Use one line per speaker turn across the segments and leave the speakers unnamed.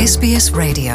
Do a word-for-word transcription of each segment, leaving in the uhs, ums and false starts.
S B S Radio.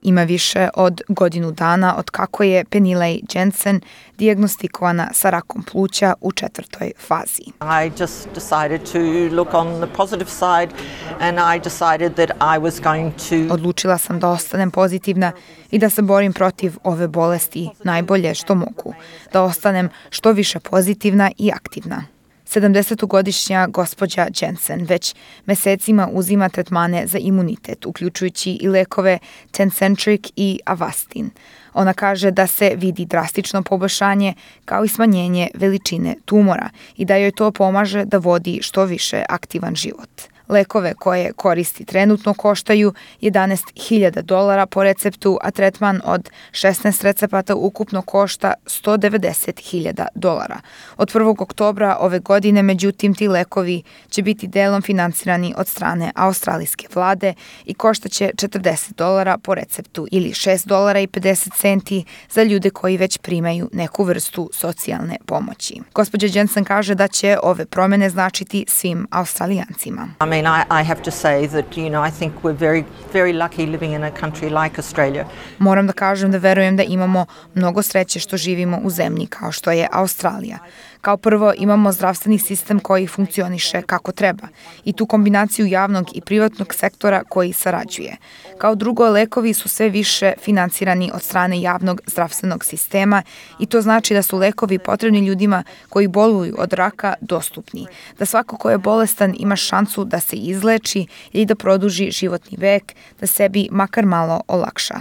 Ima više od godinu dana od kako je Penileigh Jensen dijagnostikovana sa rakom pluća u četvrtoj fazi.
I just decided to look on the positive side and I decided that I was going to
Odlučila sam da ostanem pozitivna i da se borim protiv ove bolesti najbolje što mogu, da ostanem što više pozitivna i aktivna. sedamdesetogodišnja gospođa Jensen već mesecima uzima tretmane za imunitet, uključujući i lekove Tecentriq i Avastin. Ona kaže da se vidi drastično poboljšanje kao i smanjenje veličine tumora i da joj to pomaže da vodi što više aktivan život. Lekove koje koristi trenutno koštaju jedanaest hiljada dolara po receptu, a tretman od šesnaest recepata ukupno košta sto devedeset hiljada dolara. Od prvog oktobra ove godine, međutim, ti lekovi će biti delom finansirani od strane australijske vlade i koštaće četrdeset dolara po receptu ili šest dolara i pedeset centi za ljude koji već primaju neku vrstu socijalne pomoći. Gospođa Jensen kaže da će ove promene značiti svim Australijancima.
I mean, I, I have to say that, you know, I think we're very, very lucky living in a country like Australia.
Moram da kažem da verujem da imamo mnogo sreće što živimo u zemlji kao što je Australija. Kao prvo, imamo zdravstveni sistem koji funkcioniše kako treba i tu kombinaciju javnog i privatnog sektora koji sarađuje. Kao drugo, lekovi su sve više finansirani od strane javnog zdravstvenog sistema i to znači da su lekovi potrebni ljudima koji boluju od raka dostupni, da svako ko je bolestan ima šansu da se izleči ili da produži životni vek, da sebi makar malo olakša.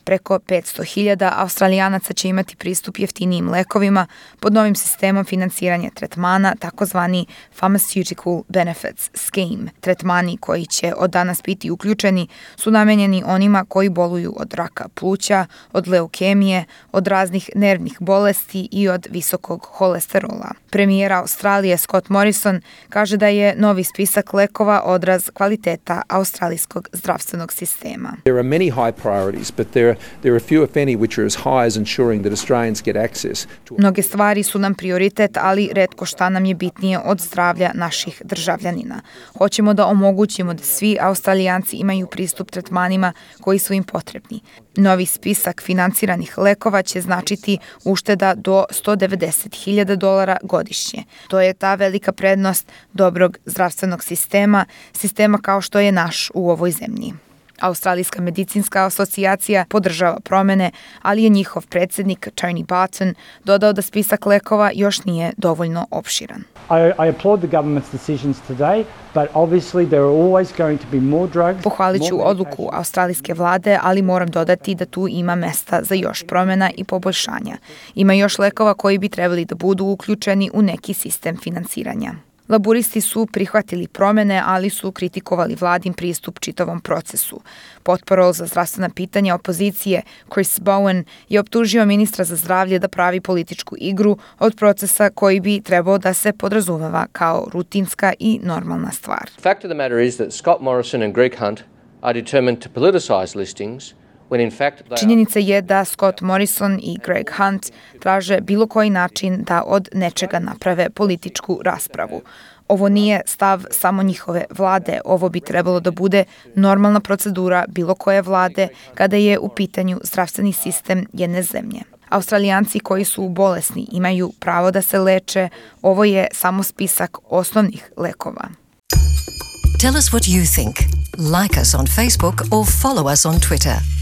Preko petsto hiljada Australijanaca će imati pristup jeftinijim lekovima pod novim sistemom finansiranja tretmana, takozvani Pharmaceutical Benefits Scheme. Tretmani koji će od danas biti uključeni su namenjeni onima koji boluju od raka pluća, od leukemije, od raznih nervnih bolesti i od visokog holesterola. Premijer Australije Scott Morrison kaže da je novi spisak lekova odraz kvaliteta australijskog zdravstvenog sistema.
There are many high priorities, but there are There are few, if any, which are as high as ensuring that Australians get access to...
Mnoge stvari su nam prioritet, ali retko šta nam je bitnije od zdravlja naših državljanina. Hoćemo da omogućimo da svi Australijanci imaju pristup tretmanima koji su im potrebni. Novi spisak finansiranih lekova će značiti ušteda do sto devedeset hiljada dolara godišnje. To je ta velika prednost dobrog zdravstvenog sistema, sistema kao što je naš u ovoj zemlji. Australijska medicinska asocijacija podržava promene, ali je njihov predsjednik Tony Barton dodao da spisak lekova još nije dovoljno opširan.
I, I applaud the government's decisions today, but obviously there are always going to be more drugs.
Pohvalit ću odluku australijske vlade, ali moram dodati da tu ima mesta za još promjena i poboljšanja. Ima još lekova koji bi trebali da budu uključeni u neki sistem finansiranja. Laburisti su prihvatili promene, ali su kritikovali vladin pristup čitavom procesu. Potporol za zdravstvena pitanja opozicije Chris Bowen je optužio ministra za zdravlje da pravi političku igru od procesa koji bi trebao da se podrazumeva kao rutinska i normalna stvar.
The fact of the matter is that Scott Morrison and Greg Hunt are determined to politicize listings.
Činjenica je da Scott Morrison i Greg Hunt traže bilo koji način da od nečega naprave političku raspravu. Ovo nije stav samo njihove vlade, ovo bi trebalo da bude normalna procedura bilo koje vlade kada je u pitanju zdravstveni sistem jedne zemlje. Australijanci koji su bolesni imaju pravo da se leče, ovo je samo spisak osnovnih lekova.
Tell us what you think. Like us on Facebook or follow us on Twitter.